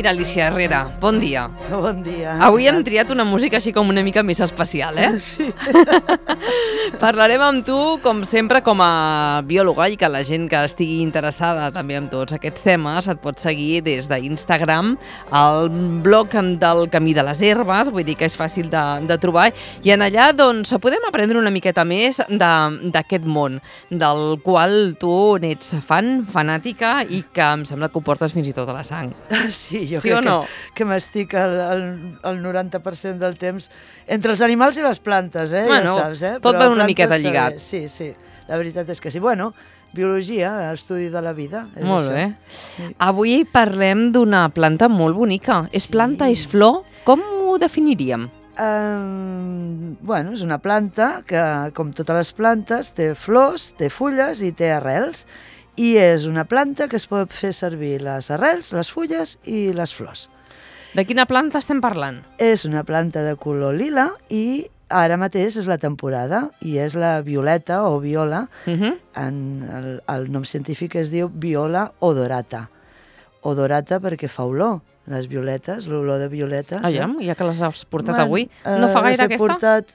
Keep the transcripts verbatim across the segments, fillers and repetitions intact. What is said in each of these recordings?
Mira, Alicia Herrera, bon dia. Bon dia. Avui hem triat una música així com una mica més especial, eh? Sí. Parlarem amb tu, com sempre, com a biòloga, i que la gent que estigui interessada també en tots aquests temes et pot seguir des d'Instagram, al blog del Camí de les Herbes, vull dir que és fàcil de, de trobar, i en allà doncs podem aprendre una miqueta més d'aquest món, del qual tu n'ets fan, fanàtica, i que em sembla que ho portes fins i tot a la sang. Sí, jo sí crec no? que, que m'estic el, el, el noranta per cent del temps entre els animals i les plantes, eh? Bueno, ja saps, eh? tot va una plantes miqueta lligat. També. Sí, sí, la veritat és que sí. Bueno, biologia, estudi de la vida. És molt això. bé. Sí. Avui parlem d'una planta molt bonica. És planta, és flor? Com ho definiríem? Um, bueno, és una planta que, com totes les plantes, té flors, té fulles i té arrels. I és una planta que es pot fer servir les arrels, les fulles i les flors. De quina planta estem parlant? És una planta de color lila i ara mateix és la temporada i és la violeta o viola. Uh -huh. En el, el nom científic es diu Viola odorata. Odorata perquè fa olor. Les violetes, l'olor de violetes. Aviam, eh? ja que les has portat bueno, avui. No fa gaire eh, aquesta? Portat,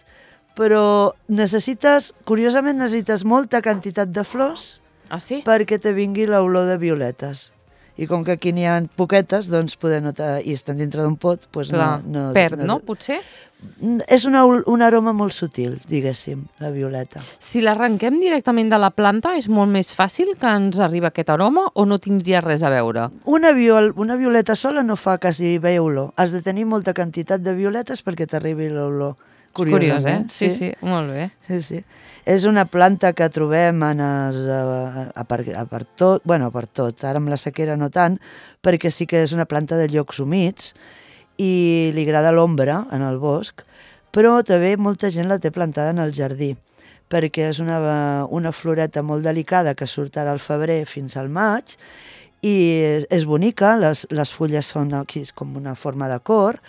però necessites, curiosament necessites molta quantitat de flors Ah, sí? perquè te vingui l'olor de violetes. I com que aquí n'hi ha poquetes, doncs poder notar, i estan dintre d'un pot, doncs Clar, no, no... perd, no, no? Potser? És una, un aroma molt sutil, diguéssim, la violeta. Si l'arrenquem directament de la planta, és molt més fàcil que ens arribi aquest aroma o no tindria res a veure? Una, viol, una violeta sola no fa quasi bé olor. Has de tenir molta quantitat de violetes perquè t'arribi l'olor. Curiós, eh? Sí, sí, sí, molt bé. Sí, sí. És una planta que trobem en els, a, a, per, a per tot, bueno, per tot, ara amb la sequera no tant, perquè sí que és una planta de llocs humits i li agrada l'ombra en el bosc, però també molta gent la té plantada en el jardí, perquè és una, una floreta molt delicada que surt ara al febrer fins al maig, i és, és bonica, les, les fulles són aquí com una forma de cor,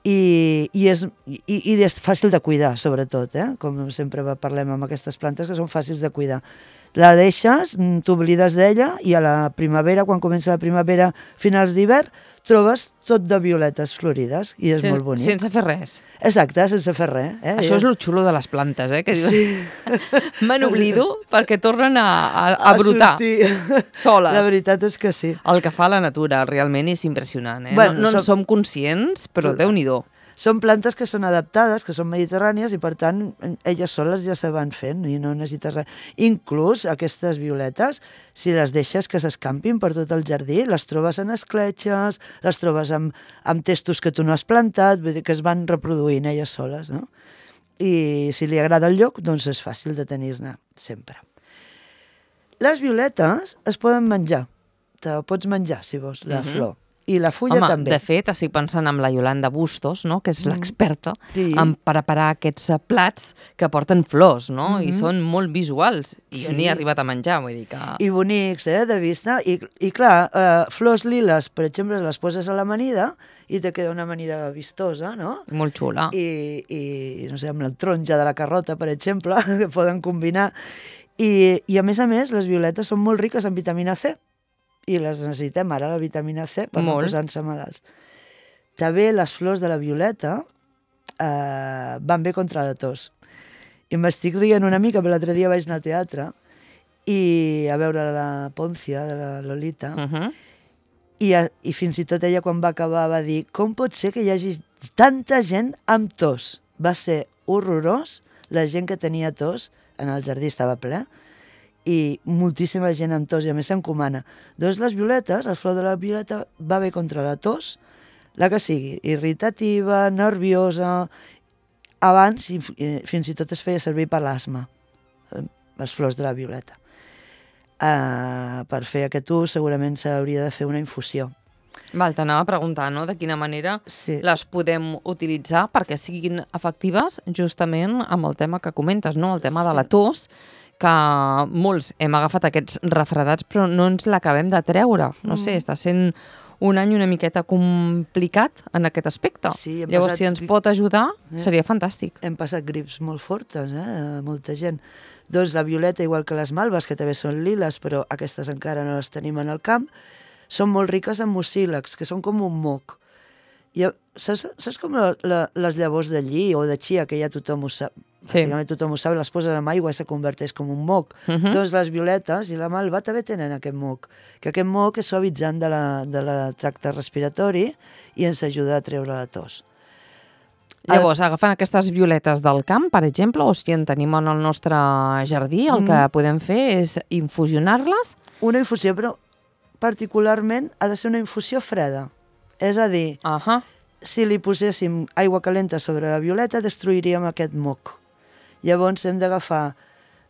I, i, és, i, i és fàcil de cuidar, sobretot, eh? Com sempre parlem amb aquestes plantes que són fàcils de cuidar. La deixes, t'oblides d'ella, i a la primavera, quan comença la primavera, finals d'hivern, trobes tot de violetes florides, i és Sen, molt bonic. Sense fer res. Exacte, sense fer res. Eh? Això és el xulo de les plantes, eh? Que dius, sí. me n'oblido perquè tornen a, a, a brotar a soles. La veritat és que sí. El que fa la natura realment és impressionant, eh? Bueno, no no som... en som conscients, però Déu-n'hi-do. Són plantes que són adaptades, que són mediterrànies, i per tant elles soles ja se van fent i no necessites res. Inclús aquestes violetes, si les deixes que s'escampin per tot el jardí, les trobes en escletxes, les trobes amb, amb testos que tu no has plantat, vull dir que es van reproduint elles soles, no? I si li agrada el lloc, doncs és fàcil de tenir-ne sempre. Les violetes es poden menjar, te pots menjar si vols, la uh-huh. flor. I la fulla Home, també. De fet, estic pensant en la Yolanda Bustos, no? Que és l'experta sí. en preparar aquests plats que porten flors, no? Mm-hmm. I són molt visuals. I sí. jo n'hi he arribat a menjar, vull dir que... I bonics, eh, de vista. I, i clar, eh, flors liles, per exemple, les poses a l'amanida i te queda una amanida vistosa, no? Molt xula. I, i no sé, amb la taronja de la carrota, per exemple, que poden combinar. I, I, a més a més, les violetes són molt riques en vitamina C. I les necessitem ara, la vitamina C, per Molt. no posar-se malalts. També les flors de la violeta eh, van bé contra la tos. I m'estic rient una mica, perquè l'altre dia vaig anar al teatre i a veure la Poncia, de la Lolita, Uh-huh. i, a, i fins i tot ella, quan va acabar, va dir com pot ser que hi hagi tanta gent amb tos? Va ser horrorós, la gent que tenia tos, en el jardí estava ple, i moltíssima gent amb tos, i a més s'encomana. Doncs les violetes, el flor de la violeta va bé contra la tos, la que sigui, irritativa, nerviosa. Abans, i, i, fins i tot es feia servir per l'asma, les flors de la violeta. Uh, per fer aquest ús segurament s'hauria de fer una infusió. Val, t'anava a preguntar, no?, de quina manera sí. les podem utilitzar perquè siguin efectives justament amb el tema que comentes, no?, el tema sí. de la tos, que molts hem agafat aquests refredats però no ens l'acabem de treure. No sé, està sent un any una miqueta complicat en aquest aspecte. Sí, Llavors, passat... si ens pot ajudar, eh? seria fantàstic. Hem passat grips molt fortes, eh? Molta gent. Doncs la violeta, igual que les malves, que també són liles, però aquestes encara no les tenim en el camp, són molt riques en mucílags, que són com un moc. I, saps, saps com la, la, les llavors de lli o de chia, que ja tothom ho sap, sí. pràcticament tothom ho sap, les poses en aigua i se converteix com un moc. Uh -huh. Doncs les violetes i la malva també tenen aquest moc, que aquest moc és suavitzant de la, de la tracte respiratori i ens ajuda a treure la tos. Llavors, agafant aquestes violetes del camp, per exemple, o si en tenim en el nostre jardí, el mm. que podem fer és infusionar-les? Una infusió, però particularment ha de ser una infusió freda. És a dir, uh -huh. si li poséssim aigua calenta sobre la violeta, destruiríem aquest moc. Llavors hem d'agafar,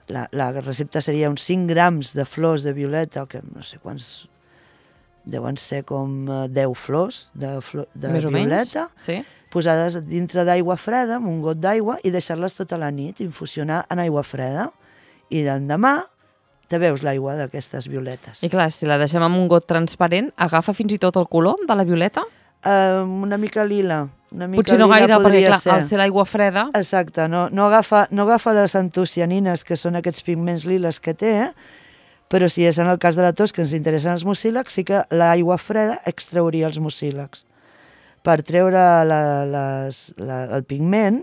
la, la recepta seria uns cinc grams de flors de violeta, que no sé quants, deuen ser com deu flors de, flor, de Més violeta, o menys, sí. posades dintre d'aigua freda, amb un got d'aigua, i deixar-les tota la nit, infusionar en aigua freda. I l'endemà te veus l'aigua d'aquestes violetes. I clar, si la deixem amb un got transparent, agafa fins i tot el color de la violeta? Uh, una mica lila. Una mica Potser no lila gaire, perquè clar, ser. al ser l'aigua freda... Exacte, no, no, agafa, no agafa les antocianines, que són aquests pigments liles que té, eh? Però si és en el cas de la tos que ens interessen els mucílags, sí que l'aigua freda extrauria els mucílags. Per treure la, les, la, el pigment,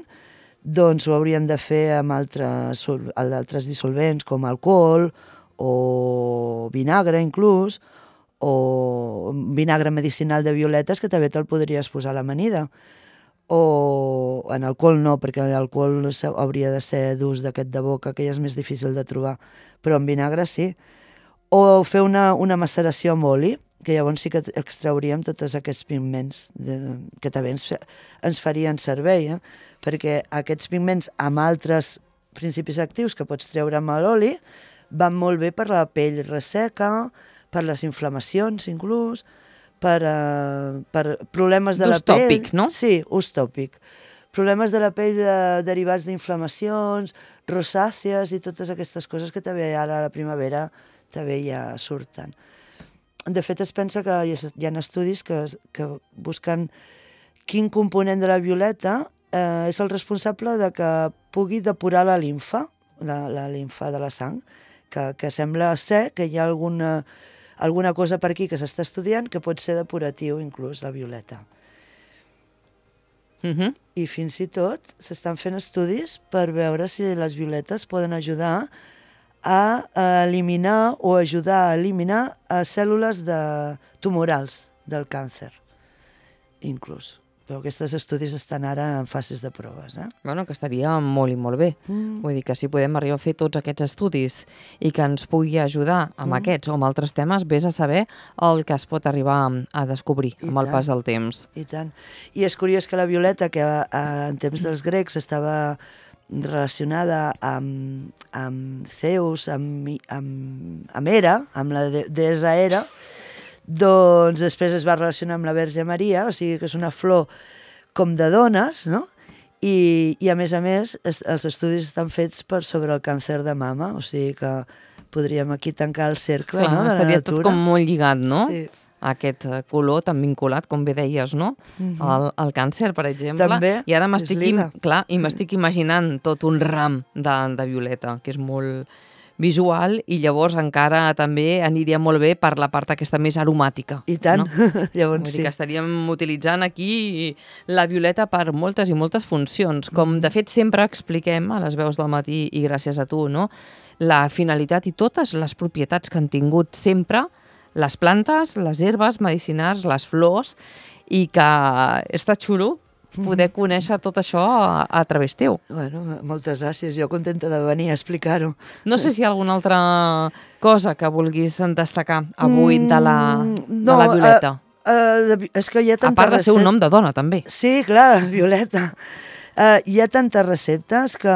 doncs ho hauríem de fer amb altres, altres dissolvents, com alcohol o vinagre inclús, o vinagre medicinal de violetes, que també te'l podries posar a l'amanida. O en alcohol no, perquè l'alcohol hauria de ser d'ús d'aquest de boca, que ja és més difícil de trobar, però en vinagre sí. O fer una, una maceració amb oli, que llavors sí que extrauríem tots aquests pigments, de, que també ens, ens farien servei, eh? Perquè aquests pigments amb altres principis actius que pots treure amb l'oli van molt bé per la pell resseca, per les inflamacions inclús, per, uh, per problemes de la pell... Ús tòpic, no? Sí, ús tòpic. Problemes de la pell de, derivats d'inflamacions, rosàcies i totes aquestes coses que també ara a la primavera també ja surten. De fet, es pensa que hi ha estudis que, que busquen quin component de la violeta eh, és el responsable de que pugui depurar la limfa, la, la limfa de la sang, que, que sembla ser que hi ha alguna, alguna cosa per aquí que s'està estudiant que pot ser depuratiu, inclús, la violeta. Uh-huh. I fins i tot s'estan fent estudis per veure si les violetes poden ajudar a eliminar o ajudar a eliminar cèl·lules de tumorals del càncer, inclús. Però aquests estudis estan ara en fases de proves. Eh? Bueno, que estaria molt i molt bé. Mm. Vull dir que si podem arribar a fer tots aquests estudis i que ens pugui ajudar amb mm. aquests o amb altres temes, vés a saber el que es pot arribar a descobrir I amb tant. El pas del temps. I tant. I és curiós que la violeta, que en temps dels grecs estava relacionada amb, amb Zeus, amb, amb, amb Hera, amb la de, deessa Hera, doncs després es va relacionar amb la Verge Maria, o sigui que és una flor com de dones, no? I, i a més a més es, els estudis estan fets per sobre el càncer de mama, o sigui que podríem aquí tancar el cercle. Clar, no? de la estaria natura. Tot com molt lligat, no? Sí. Aquest color tan vinculat, com bé deies, no? Mm-hmm. el, el càncer, per exemple. També, I ara m'estic clar, i m'estic imaginant tot un ram de, de violeta, que és molt visual, i llavors encara també aniria molt bé per la part aquesta més aromàtica. I tant, no? llavors Vull sí. dir que estaríem utilitzant aquí la violeta per moltes i moltes funcions. Com de fet sempre expliquem a les veus del matí, i gràcies a tu, no? La finalitat i totes les propietats que han tingut sempre les plantes, les herbes medicinals, les flors, i que està xulo poder conèixer tot això a, a través teu. Bueno, moltes gràcies, jo contenta de venir a explicar-ho. No sé si hi ha alguna altra cosa que vulguis destacar avui de la, de no, la Violeta. Uh, uh, és que hi ha tanta a part de ser un nom de dona, també. Sí, clar, Violeta. Uh, hi ha tantes receptes que,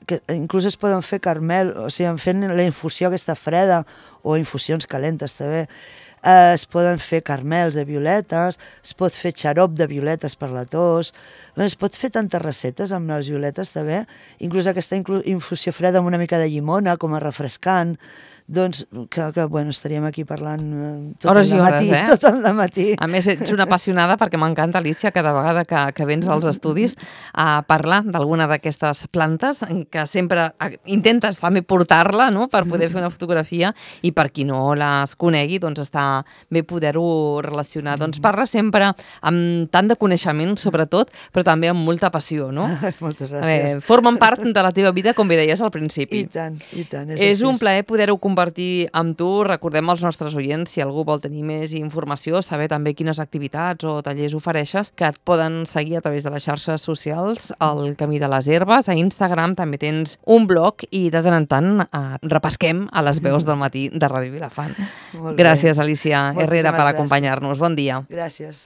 que inclús es poden fer carmel, o sigui, fent la infusió aquesta freda, o infusions calentes també. Uh, es poden fer carmels de violetes, es pot fer xarop de violetes per la tos, Bueno, es pot fer tantes receptes amb les violetes també, inclús aquesta infusió freda amb una mica de llimona, com a refrescant, doncs que, que bueno, estaríem aquí parlant tot hores el i hores, matí, eh? tot el matí. A més, ets una apassionada perquè m'encanta, Alicia, cada vegada que, que vens als estudis a parlar d'alguna d'aquestes plantes, que sempre intentes també portar-la, no?, per poder fer una fotografia, i per qui no les conegui, doncs està bé poder-ho relacionar. Doncs parla sempre amb tant de coneixement, sobretot, però també amb molta passió, no? Moltes gràcies. A veure, formen part de la teva vida, com bé deies al principi. I tant, i tant. És, és un plaer poder-ho compartir amb tu. Recordem als nostres oients, si algú vol tenir més informació, saber també quines activitats o tallers ofereixes, que et poden seguir a través de les xarxes socials, el Camí de les Herbes, a Instagram també tens un blog i de tant en tant eh, repesquem a les veus del matí de Ràdio Vilafant. Gràcies, Alicia Herrera, per acompanyar-nos. Bon dia. Gràcies.